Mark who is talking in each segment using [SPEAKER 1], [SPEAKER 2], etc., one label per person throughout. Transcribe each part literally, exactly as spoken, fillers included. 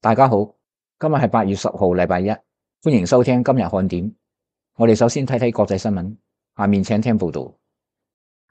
[SPEAKER 1] 大家好，今日係八月十號，禮拜一，歡迎收聽今日看點。我哋首先睇睇國際新聞，下面請聽報道。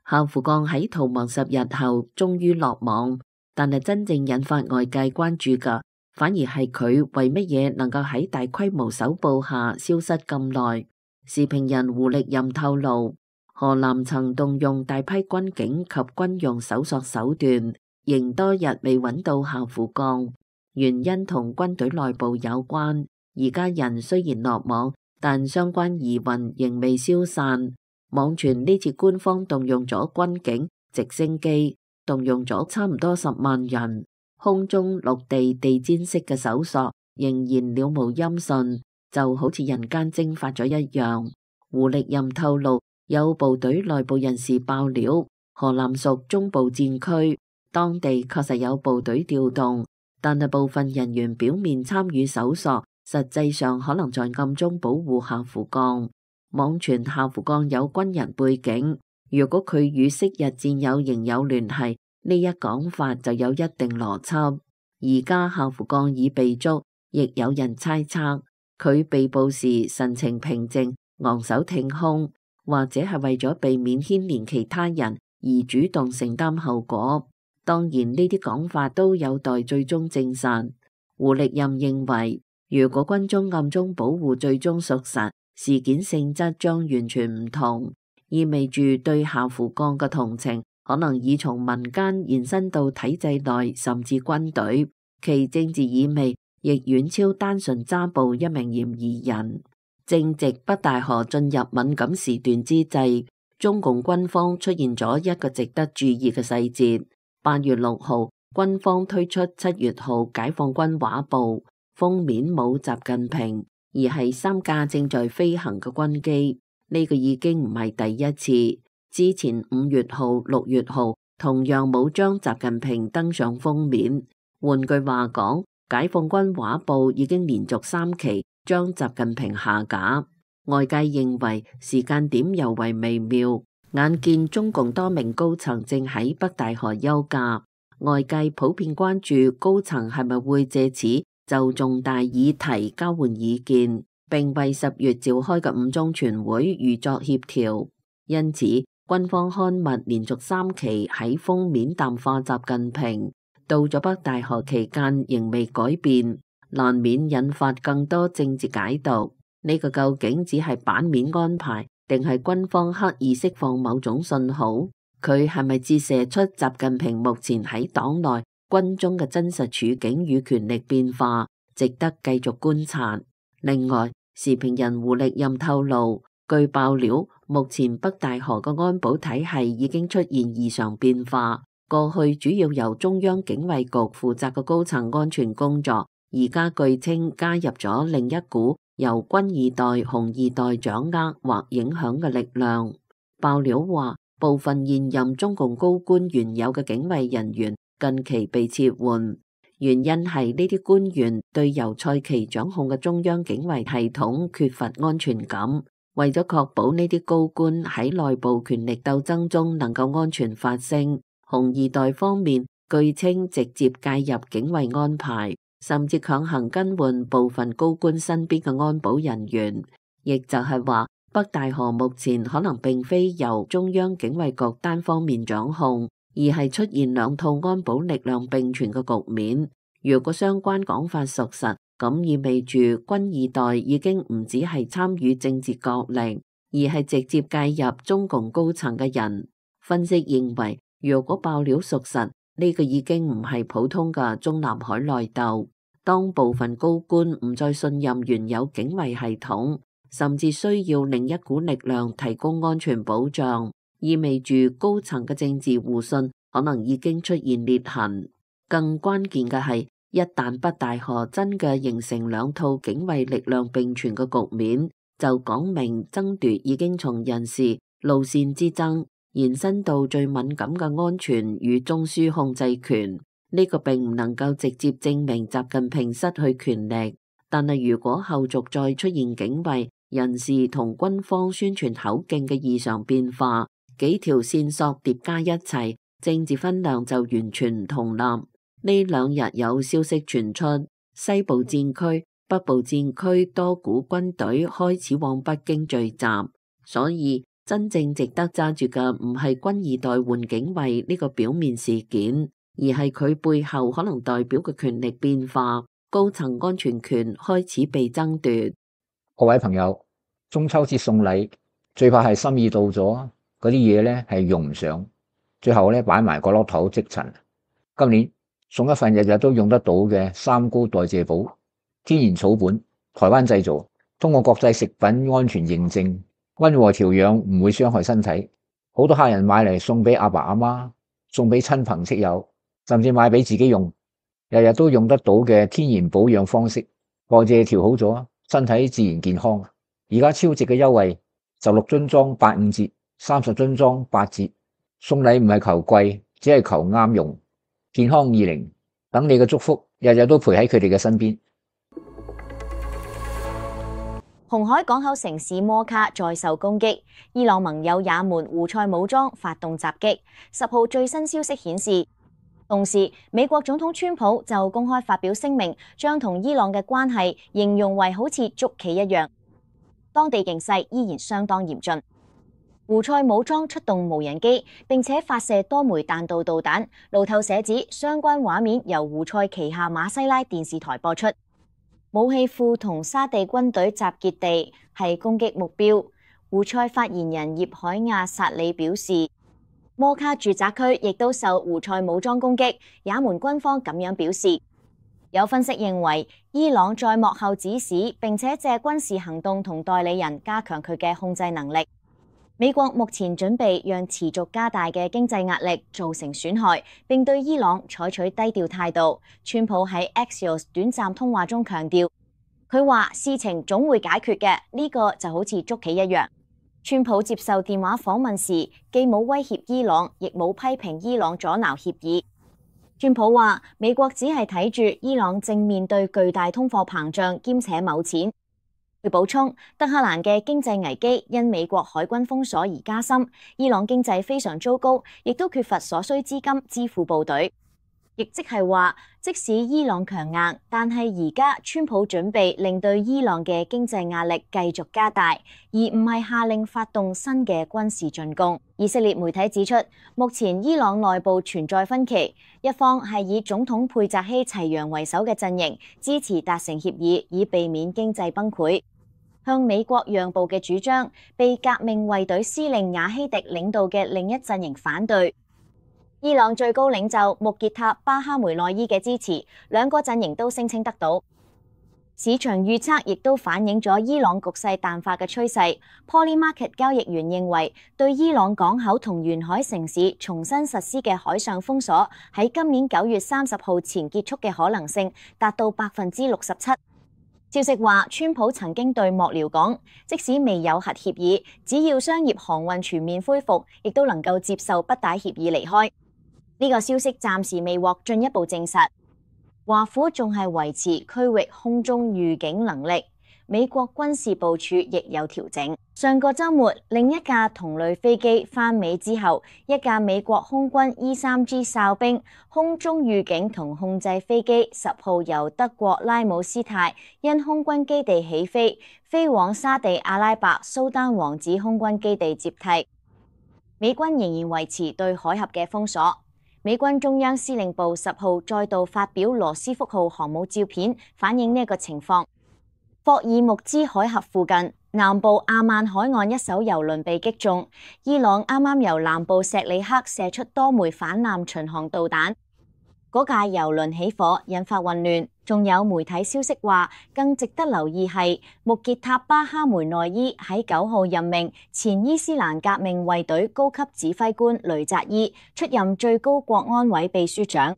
[SPEAKER 2] 夏福降喺逃亡十日後終於落網，但係真正引發外界關注嘅，反而係佢為乜嘢能夠喺大規模搜捕下消失咁耐。時評人胡力任透露，河南曾動用大批軍警及軍用搜索手段，仍多日未揾到夏福降，原因同軍隊內部有關。而家人雖然落網，但相關疑雲仍未消散。網傳呢次官方動用咗軍警、直升機，動用咗差唔多十萬人，空中、陸地、地氈式嘅搜索仍然了無音訊，就好似人間蒸發咗一樣。胡力任透露，有部隊內部人士爆料，河南屬中部戰區，當地確實有部隊調動，但係部分人員表面參與搜索，實際上可能在暗中保護夏福降。網傳夏福降有軍人背景，如果佢與昔日戰友仍有聯繫，呢一講法就有一定邏輯。而家夏福降已被捉，亦有人猜測佢被捕時神情平靜，昂首挺胸，或者係為咗避免牽連其他人而主動承擔後果。當然呢啲講法都有待最終證實。胡力任認為，如果軍中暗中保護最終屬實，事件性質將完全唔同，意味住對夏福降嘅同情可能已從民間延伸到體制內，甚至軍隊，其政治意味亦遠超單純抓捕一名嫌疑人。正值北戴河進入敏感時段之際，中共軍方出現咗一個值得注意嘅細節。八月六號，軍方推出七月號解放軍畫報，封面冇習近平，而係三架正在飛行嘅軍機。呢個已經唔係第一次，之前五月號、六月號同樣冇將習近平登上封面。換句話講，解放軍畫報已經連續三期將習近平下架。外界認為時間點尤為微妙，眼見中共多名高層正喺北戴河休假，外界普遍關注高層係咪會借此就重大議題交換意見，並為十月召開嘅五中全會預作協調。因此，軍方刊物連續三期喺封面淡化習近平，到咗北戴河期間仍未改變，難免引發更多政治解讀。呢個究竟只係版面安排，定係軍方刻意釋放某種信號？佢係咪折射出習近平目前喺黨內軍中嘅真實處境與權力變化，值得繼續觀察。另外，時評人胡力任透露，據爆料，目前北戴河嘅安保體系已經出現異常變化。過去主要由中央警衛局負責嘅高層安全工作，而家據稱加入咗另一股由軍二代、紅二代掌握或影響嘅力量。爆料話，部分現任中共高官原有嘅警衛人員近期被撤換，原因係呢啲官員對由蔡奇掌控嘅中央警衛系統缺乏安全感。為咗確保呢啲高官喺內部權力鬥爭中能夠安全發聲，紅二代方面據稱直接介入警衛安排，甚至強行更換部分高官身邊嘅安保人員。亦就係話，北戴河目前可能並非由中央警衛局單方面掌控，而係出現兩套安保力量並存嘅局面。如果相關講法屬實，咁意味住軍二代已經唔只係參與政治角力，而係直接介入中共高層嘅人。分析認為，如果爆料屬實，呢個已經唔係普通嘅中南海內鬥。當部分高官唔再信任原有警衛系統，甚至需要另一股力量提供安全保障，意味住高層嘅政治互信可能已經出現裂痕。更關鍵嘅係，一旦北戴河真嘅形成兩套警衛力量並存嘅局面，就講明爭奪已經從人事路線之爭延伸到最敏感嘅安全與中樞控制權。呢個並唔能夠直接證明習近平失去權力，但係如果後續再出現警衛人事同軍方宣傳口徑嘅異常變化，幾條線索疊加一齊，政治分量就完全唔同啦。呢兩日有消息傳出，西部戰區、北部戰區多股軍隊開始往北京聚集，所以真正值得揸住嘅唔係軍二代換警衛呢個表面事件，而係佢背後可能代表嘅權力變化，高層安全權開始被爭奪。
[SPEAKER 1] 各位朋友，中秋節送禮最怕係心意到咗，嗰啲嘢咧係用唔上，最後咧擺埋個落頭積塵。今年送一份日日都用得到嘅三高代謝寶，天然草本，台灣製造，通過國際食品安全認證，溫和調養，唔會傷害身體。好多客人買嚟送俾阿爸阿媽，送俾親朋戚友，甚至買俾自己用，日日都用得到嘅天然保養方式，代謝調好咗，身體自然健康。而家超值嘅優惠，十六樽裝八五折，三十樽裝八折。送禮唔係求貴，只係求啱用。健康二零，等你嘅祝福日日都陪喺佢哋嘅身邊。
[SPEAKER 3] 紅海港口城市摩卡再受攻擊，伊朗盟友也門胡塞武裝發動襲擊。十號最新消息顯示，同時美國總統川普就公開發表聲明，將同伊朗嘅關係形容為好似捉棋一樣。當地形勢依然相當嚴峻。胡塞武裝出動無人機，並且發射多枚彈道導彈。路透社指相關畫面由胡塞旗下馬西拉電視台播出。武器庫同沙地軍隊集結地係攻擊目標。胡塞發言人葉海亞薩里表示，摩卡住宅區亦都受胡塞武裝攻擊。也門軍方咁樣表示。有分析認為，伊朗在幕後指使，並且借軍事行動同代理人加強佢嘅控制能力。美國目前準備讓持續加大嘅經濟壓力造成損害，並對伊朗採取低調態度。川普喺 Axios 短暫通話中強調，佢話事情總會解決嘅，呢個就好似捉棋一樣。川普接受電話訪問時，既冇威脅伊朗，亦冇批評伊朗阻撓協議。川普話，美國只係睇住伊朗正面對巨大通貨膨脹兼且冇錢。佢補充，德黑蘭嘅經濟危機因美國海軍封鎖而加深，伊朗經濟非常糟糕，亦都缺乏所需資金支付部隊。亦即係話，即使伊朗強硬，但係而家川普準備令對伊朗嘅經濟壓力繼續加大，而唔係下令發動新嘅軍事進攻。以色列媒體指出，目前伊朗內部存在分歧，一方係以總統佩澤希齊揚為首嘅陣營支持達成協議，以避免經濟崩潰。向美國讓步嘅主張被革命衛隊司令雅希迪領導嘅另一陣營反對。伊朗最高領袖穆傑塔巴哈梅內伊嘅支持，兩個陣營都聲稱得到。市場預測亦都反映咗伊朗局勢淡化嘅趨勢。Polymarket 交易員認為，對伊朗港口同沿海城市重新實施嘅海上封鎖，喺今年九月三十號前結束嘅可能性達到百分之六十七。消息話，川普曾經對幕僚講，即使未有核協議，只要商業航運全面恢復，亦都能夠接受不帶協議離開。呢個消息暫時未獲進一步證實。華府仲係維持區域空中預警能力，美國軍事部署亦有調整。上個週末，另一架同類飛機返美之後，一架美國空軍 E 三 G 哨兵空中預警同控制飛機十號由德國拉姆斯泰因空軍基地起飛，飛往沙地阿拉伯蘇丹王子空軍基地接替。美軍仍然維持對海峽嘅封鎖。美軍中央司令部十號再度發表羅斯福號航母照片，反映呢一個情況。霍爾木茲海峽附近南部阿曼海岸一艘油輪被擊中，伊朗啱啱由南部錫里克射出多枚反艦巡航導彈，嗰架油輪起火，引發混亂。仲有媒體消息話，更值得留意係穆傑塔巴哈梅內伊喺九號任命前伊斯蘭革命衛隊高級指揮官雷扎伊出任最高國安委秘書長。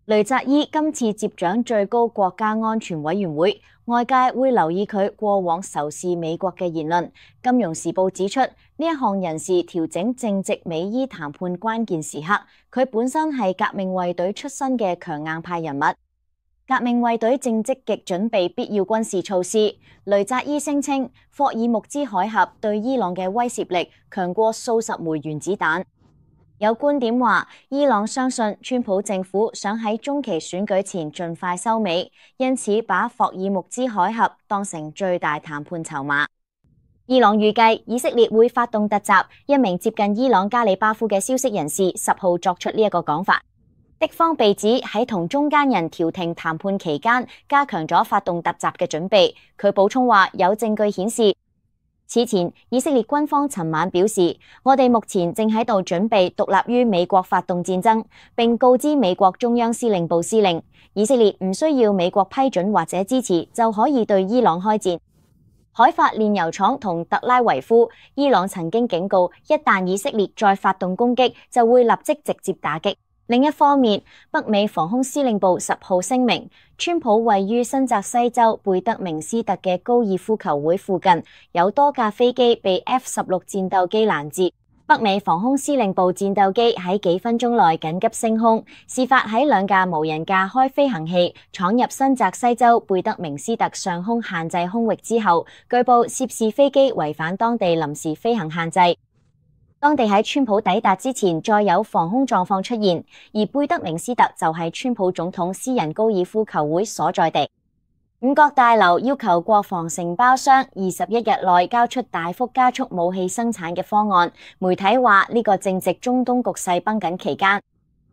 [SPEAKER 3] 雷扎伊今次接掌最高國家安全委員會，外界會留意佢過往仇視美國嘅言論。金融時報指出，呢一項人事調整正值美伊談判關鍵時刻，佢本身係革命衛隊出身嘅強硬派人物。革命衛隊正積極準備必要軍事措施。雷扎伊聲稱，霍爾木茲海峽對伊朗嘅威懾力強過數十枚原子彈。有觀點話，伊朗相信川普政府想喺中期選舉前盡快收尾，因此把霍爾木茲海峽當成最大談判籌碼。伊朗預計以色列會發動突襲，一名接近伊朗加里巴夫嘅消息人士十號作出呢一個講法。敵方被指喺同中間人調停談判期間，加強咗發動突襲嘅準備。佢補充話，有證據顯示，此前，以色列軍方尋晚表示，我哋目前正喺度準備獨立於美國發動戰爭，並告知美國中央司令部司令，以色列唔需要美國批准或者支持就可以對伊朗開戰。海法煉油廠同特拉維夫，伊朗曾經警告，一旦以色列再發動攻擊，就會立即直接打擊。另一方面，北美防空司令部十號聲明，川普位於新澤西州貝德明斯特嘅高爾夫球會附近有多架飛機被 F 十六戰鬥機攔截。北美防空司令部戰鬥機喺幾分鐘內緊急升空，事發喺兩架無人駕開飛行器闖入新澤西州貝德明斯特上空限制空域之後，據報涉事飛機違反當地臨時飛行限制。當地喺川普抵達之前再有防空狀況出現，而貝德明斯特就係川普總統私人高爾夫球會所在地。五角大樓要求國防承包商二十一日內交出大幅加速武器生產嘅方案。媒體話呢個正值中東局勢繃緊期間。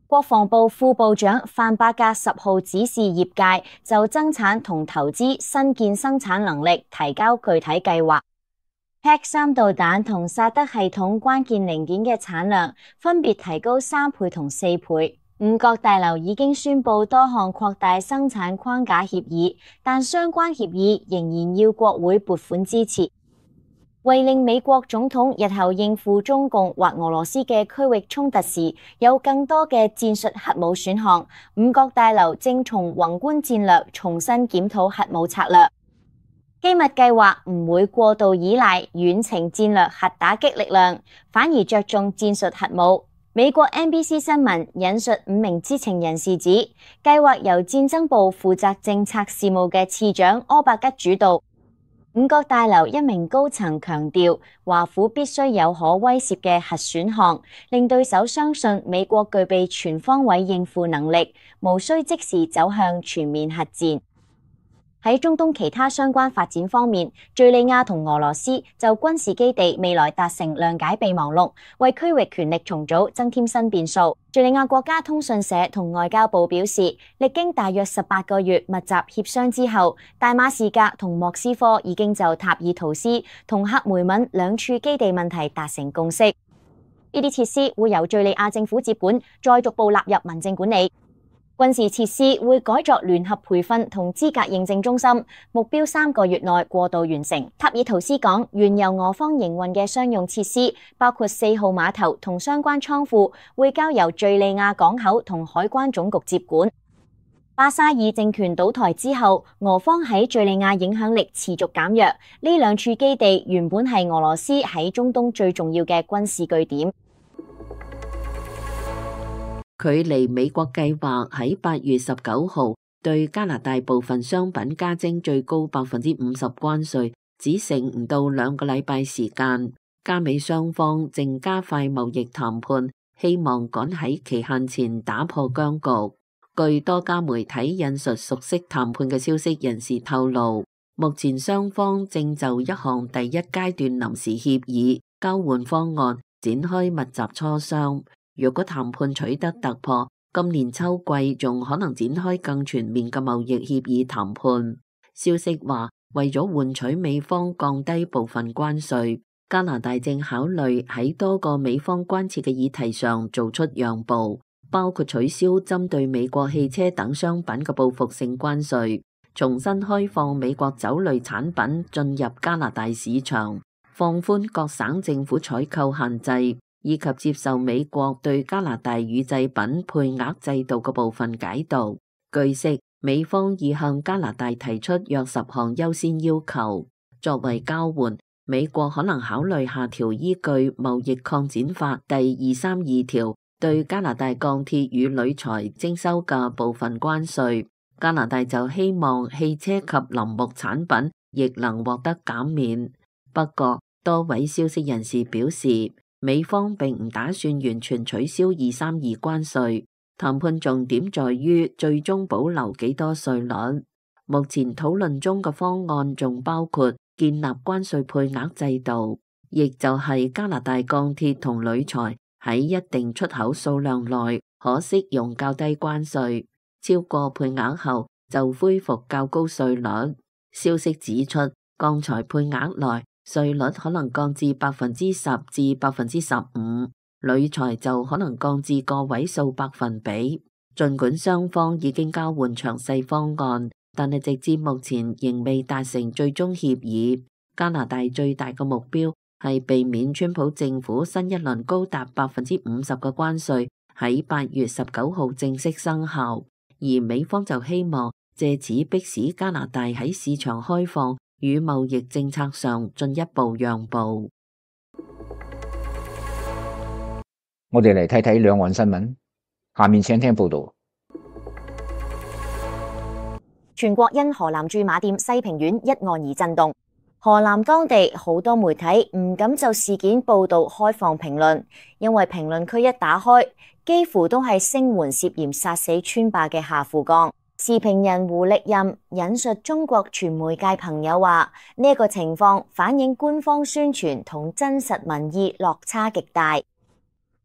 [SPEAKER 3] 國防部副部長范伯格十號指示業界就增產同投資新建生產能力提交具體計劃。P A C 三導彈同薩德系統關鍵零件嘅產量分別提高三倍同四倍。五角大樓已經宣布多項擴大生產框架協議，但相關協議仍然要國會撥款支持。為令美國總統日後應付中共或俄羅斯嘅區域衝突時有更多嘅戰術核武選項，五角大樓正從宏觀戰略重新檢討核武策略。機密計劃唔會過度依賴遠程戰略核打擊力量，反而着重戰術核武。美國 N B C 新聞引述五名知情人士指，計劃由戰爭部負責政策事務嘅次長柯伯吉主導。五角大樓一名高層強調，華府必須有可威懾嘅核選項，令對手相信美國具備全方位應付能力，無需即時走向全面核戰。喺中東其他相關發展方面，敘利亞同俄羅斯就軍事基地未來達成諒解備忘錄，為區域權力重組增添新變數。敘利亞國家通訊社同外交部表示，歷經大約十八個月密集協商之後，大馬士革同莫斯科已經就塔爾圖斯同克梅敏兩處基地問題達成共識。呢啲設施會由敘利亞政府接管，再逐步納入民政管理。軍事設施會改作聯合培訓同資格認證中心，目標三個月內過渡完成。塔爾圖斯港原由俄方營運嘅商用設施，包括四號碼頭同相關倉庫，會交由敘利亞港口同海關總局接管。巴沙爾政權倒台之後，俄方喺敘利亞影響力持續減弱。呢兩處基地原本係俄羅斯喺中東最重要嘅軍事據點。
[SPEAKER 2] 距離美國計劃喺八月十九號對加拿大部分商品加徵最高百分之五十關稅，只剩唔到兩個禮拜時間。加美雙方正加快貿易談判，希望趕喺期限前打破僵局。據多家媒體引述熟悉談判嘅消息人士透露，目前雙方正就一項第一階段臨時協議交換方案展開密集磋商。若果談判取得突破，今年秋季仲可能展開更全面嘅貿易協議談判。消息話，為咗換取美方降低部分關稅，加拿大正考慮喺多個美方關切嘅議題上做出讓步，包括取消針對美國汽車等商品嘅報復性關稅，重新開放美國酒類產品進入加拿大市場，放寬各省政府採購限制，以及接受美國對加拿大乳製品配額制度嘅部分解讀。據悉，美方已向加拿大提出約十項優先要求。作為交換，美國可能考慮下調依據貿易擴展法第二三二條對加拿大鋼鐵與鋁材徵收嘅部分關稅。加拿大就希望汽車及林木產品亦能獲得減免。不過，多位消息人士表示，美方並唔打算完全取消二三二關稅，談判重點在於最終保留幾多稅率。目前討論中嘅方案仲包括建立關稅配額制度，亦就係加拿大鋼鐵同鋁材喺一定出口數量內可適用較低關稅，超過配額後就恢復較高稅率。消息指出，鋼材配額內稅率可能降至百分之十至百分之十五，鋁材就可能降至個位數百分比。儘管雙方已經交換詳細方案，但係直至目前仍未達成最終協議。加拿大最大嘅目標係避免川普政府新一輪高達百分之五十嘅關稅喺八月十九號正式生效，而美方就希望借此迫使加拿大喺市場開放與貿易政策上進一步讓步。
[SPEAKER 1] 我哋嚟睇睇兩岸新聞，下面請聽報道。
[SPEAKER 3] 全國因河南駐馬店西平縣一案而震動，河南當地好多媒體唔敢就事件報道開放評論，因為評論區一打開，幾乎都係聲援涉嫌殺死村霸嘅夏富江。時評人胡力任引述中國傳媒界朋友話：呢一個情況反映官方宣傳同真實民意落差極大。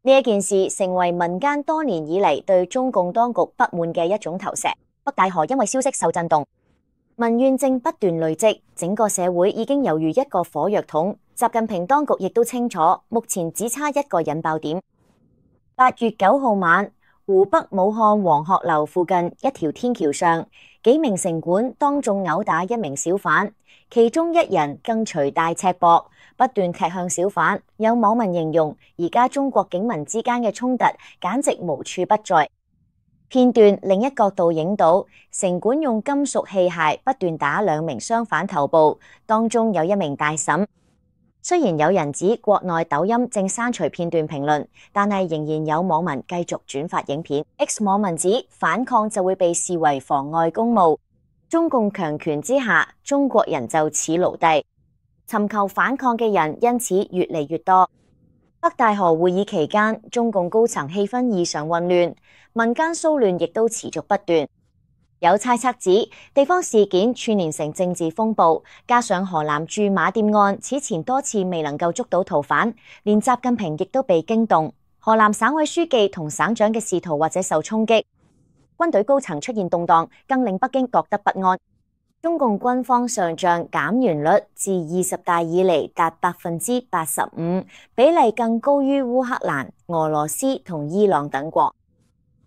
[SPEAKER 3] 呢一件事成為民間多年以嚟對中共當局不滿嘅一種投石。北戴河因為消息受震動，民怨正不斷累積，整個社會已經猶如一個火藥桶。習近平當局亦都清楚，目前只差一個引爆點。八月九號晚，湖北武漢黃鶴樓附近一條天橋上，幾名城管當眾毆打一名小販，其中一人更隨大赤膊不斷踢向小販。有網民形容，而家中國警民之間嘅衝突簡直無處不在。片段另一角度影到城管用金屬器械不斷打兩名商販頭部，當中有一名大嬸。雖然有人指國內抖音正刪除片段評論，但係仍然有網民繼續轉發影片。X 網民指反抗就會被視為妨礙公務，中共強權之下，中國人就似奴隸，尋求反抗嘅人因此越嚟越多。北戴河會議期間，中共高層氣氛異常混亂，民間騷亂亦都持續不斷。有猜測指地方事件串連成政治風暴，加上河南駐馬店案此前多次未能夠捉到逃犯，連習近平亦都被驚動。河南省委書記同省長嘅仕途或者受衝擊，軍隊高層出現動盪，更令北京覺得不安。中共軍方上將減員率自二十大以嚟達百分之八十五，比例更高於烏克蘭、俄羅斯同伊朗等國。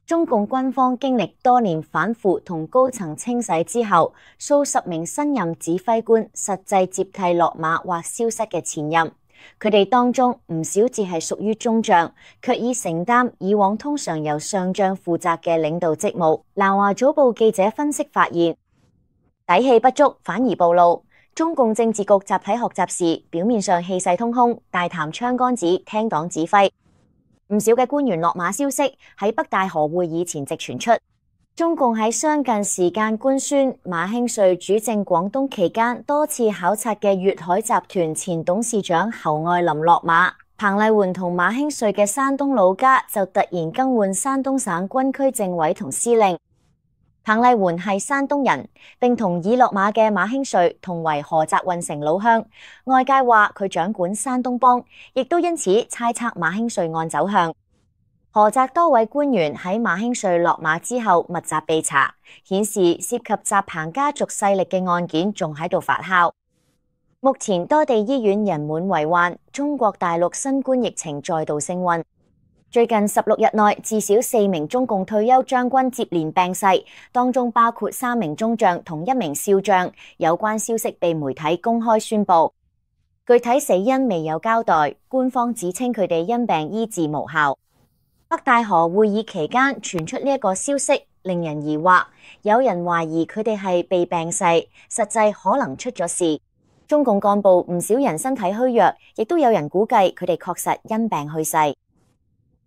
[SPEAKER 3] 中共軍方經歷多年反腐同高層清洗之後，數十名新任指揮官實際接替落馬或消失嘅前任，佢哋當中唔少只係屬於中將，卻已承擔以往通常由上將負責嘅領導職務。南華早報記者分析發現，底氣不足反而暴露。中共政治局集體學習時，表面上氣勢通空，大談槍桿子，聽黨指揮。唔少嘅官員落馬消息喺北戴河會議前夕傳出。中共喺相近時間官宣馬興瑞主政廣東期間多次考察嘅粵海集團前董事長侯愛林落馬。彭麗媛同馬興瑞嘅山東老家就突然更換山東省軍區政委同司令。彭麗媛係山東人，並同已落馬嘅馬興瑞同為菏澤運城老鄉。外界話佢掌管山東幫，亦都因此猜測馬興瑞案走向。菏澤多位官員喺馬興瑞落馬之後密集被查，顯示涉及習彭家族勢力嘅案件仲喺度發酵。目前多地醫院人滿為患，中國大陸新冠疫情再度升溫。最近十六日內，至少四名中共退休將軍接連病逝，當中包括三名中將同一名少將。有關消息被媒體公開宣布，具體死因未有交代。官方只稱佢哋因病醫治無效。北戴河會議期間傳出呢一個消息，令人疑惑。有人懷疑佢哋係被病逝，實際可能出咗事。中共幹部唔少人身體虛弱，亦都有人估計佢哋確實因病去世。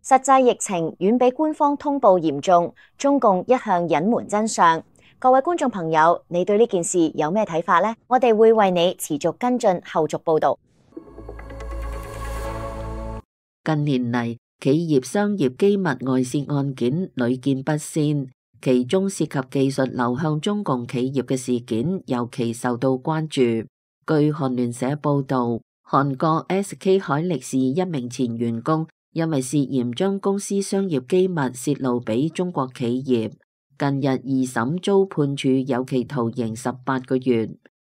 [SPEAKER 3] 實際疫情遠比官方通報嚴重，中共一向隱瞞真相。各位觀眾朋友，你對呢件事有咩睇法呢？我哋會為你持續跟進後續報道。
[SPEAKER 2] 近年嚟，企業商業機密外泄案件屢見不鮮，其中涉及技術流向中共企業嘅事件尤其受到關注。據韓聯社報導，韓國 S K 海力士一名前員工因為涉嫌將公司商業機密泄露俾中國企業，近日二審遭判處有期徒刑十八個月。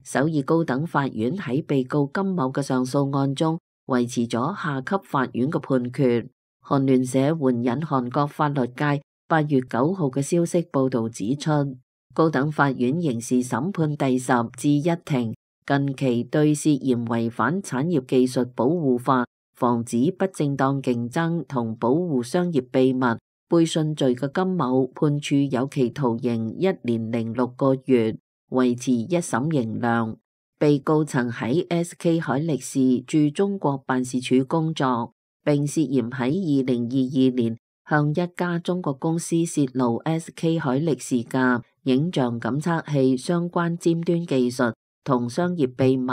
[SPEAKER 2] 首爾高等法院喺被告金某嘅上訴案中維持咗下級法院嘅判決。韓聯社援引韓國法律界八月九號嘅消息報導指出，高等法院刑事審判第十至一庭近期對涉嫌違反產業技術保護法、防止不正當競爭同保護商業秘密背信罪嘅金某判處有期徒刑一年零六個月，維持一審刑量。被告曾喺 S K 海力士駐中國辦事處工作，並涉嫌喺二零二二年向一家中國公司泄露 S K 海力士嘅影像感測器相關尖端技術同商業秘密，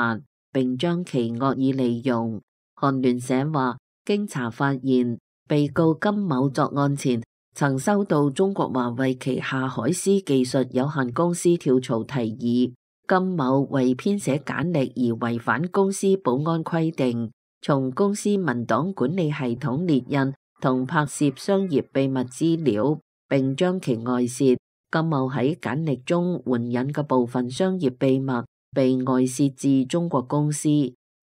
[SPEAKER 2] 並將其惡意利用。韓聯社話，經查發現，被告金某作案前曾收到中國華為旗下海思技術有限公司跳槽提議，金某為編寫簡歷而違反公司保安規定，從公司文檔管理系統列印同拍攝商業秘密資料，並將其外泄。金某喺簡歷中援引嘅部分商業秘密被外泄至中國公司。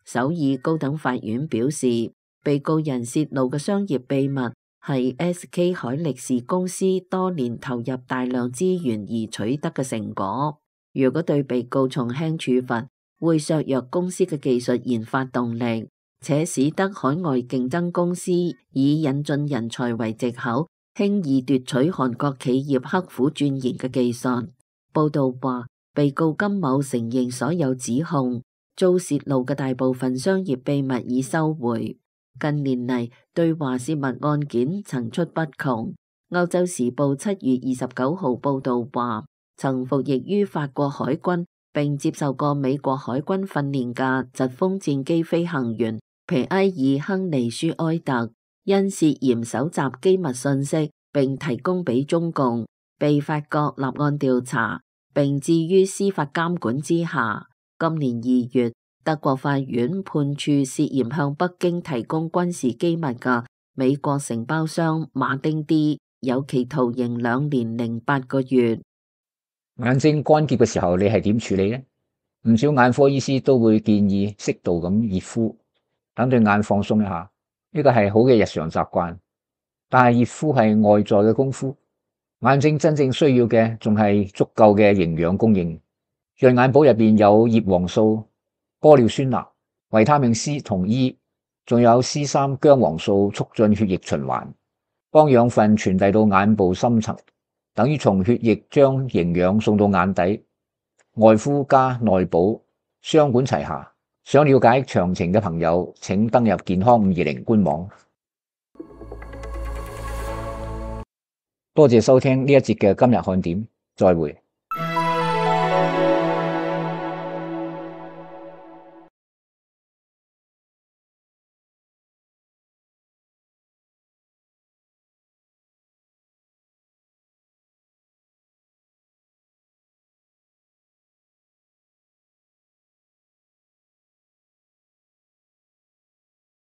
[SPEAKER 2] 首爾高等法院表示，被告人泄露嘅商業秘密係 S K 海力士公司多年投入大量資源而取得嘅成果。如果對被告從輕處罰，會削弱公司嘅技術研發動力，且使得海外競爭公司以引進人才為藉口，輕易奪取韓國企業刻苦鑽研嘅技術。報道話，被告金某承認所有指控，遭泄露嘅大部分商業秘密已收回。近年嚟，對華泄密案件層出不窮。歐洲時報七月二十九號報道話，曾服役於法國海軍並接受過美國海軍訓練嘅疾風戰機飛行員皮埃爾亨利舒埃特，因涉嫌搜集機密信息並提供俾中共，被法國立案調查，並置於司法監管之下。今年二月，德國法院判處涉嫌向北京提供軍事機密嘅美國承包商馬丁 D 有期徒刑兩年零八個月。
[SPEAKER 1] 眼睛乾澀嘅時候，你係點處理呢？唔少眼科醫師都會建議適度咁熱敷，等對眼放鬆一下。呢個係好嘅日常習慣，但係熱敷係外在嘅功夫，眼睛真正需要嘅仲係足夠嘅營養供應。潤眼寶入邊有葉黃素、玻尿酸鈉、維他命 C 同 E， 仲有 C 三薑黃素，促進血液循環，幫養分傳遞到眼部深層，等於從血液將營養送到眼底。外敷加內補，雙管齊下。想了解詳情嘅朋友，請登入健康五二零官網。多謝收聽呢一節嘅今日看點，再會。